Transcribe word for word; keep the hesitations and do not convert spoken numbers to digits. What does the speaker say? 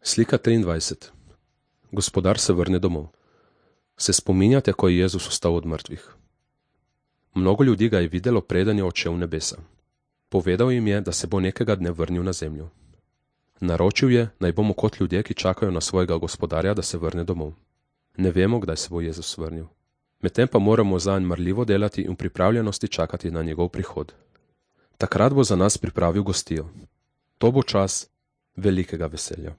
Slika triindvajset. Gospodar se vrne domov. Se spominjate, ko je Jezus vstal od mrtvih? Mnogo ljudi ga je videlo, preden je odšel v nebesa. Povedal jim je, da se bo nekega dne vrnil na zemljo. Naročil je, naj bomo kot ljudje, ki čakajo na svojega gospodarja, da se vrne domov. Ne vemo, kdaj se bo Jezus vrnil. Medtem pa moramo zanj marljivo delati in v pripravljenosti čakati na njegov prihod. Takrat bo za nas pripravil gostijo. To bo čas velikega veselja.